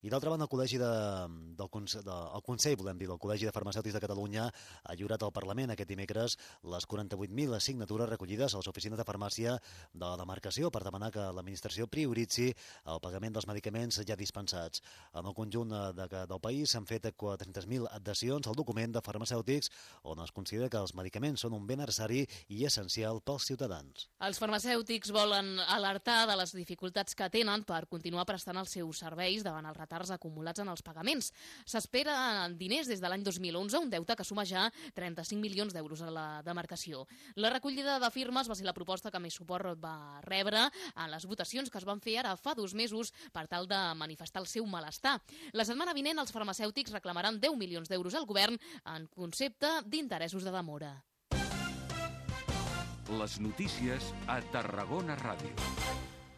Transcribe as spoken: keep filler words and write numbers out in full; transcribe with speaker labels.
Speaker 1: I d'altra banda, el Col·legi de, del Consell, de, el Consell, volem dir, del Col·legi de Farmacèutics de Catalunya ha lliurat al Parlament aquest dimecres les quaranta-vuit mil signatures recollides a les oficines de farmàcia de la demarcació per demanar que l'administració prioritzi el pagament dels medicaments ja dispensats. En el conjunt de, del país s'han fet quatre-centes mil adhesions al document de farmacèutics on es considera que els medicaments són un bé necessari i essencial pels ciutadans.
Speaker 2: Els farmacèutics volen alertar de les dificultats que tenen per continuar prestant els seus serveis davant els retards acumulats en els pagaments. S'espera diners des de l'any dos mil onze, un deute que suma ja trenta-cinc milions d'euros a la demarcació. La recollida de firmes va ser la proposta que més suport va rebre en les votacions que es van fer ara fa dos mesos per tal de manifestar el seu malestar. La setmana vinent els farmacèutics reclamaran deu milions d'euros al govern en concepte d'interessos de demora.
Speaker 3: Les notícies a Tarragona Ràdio.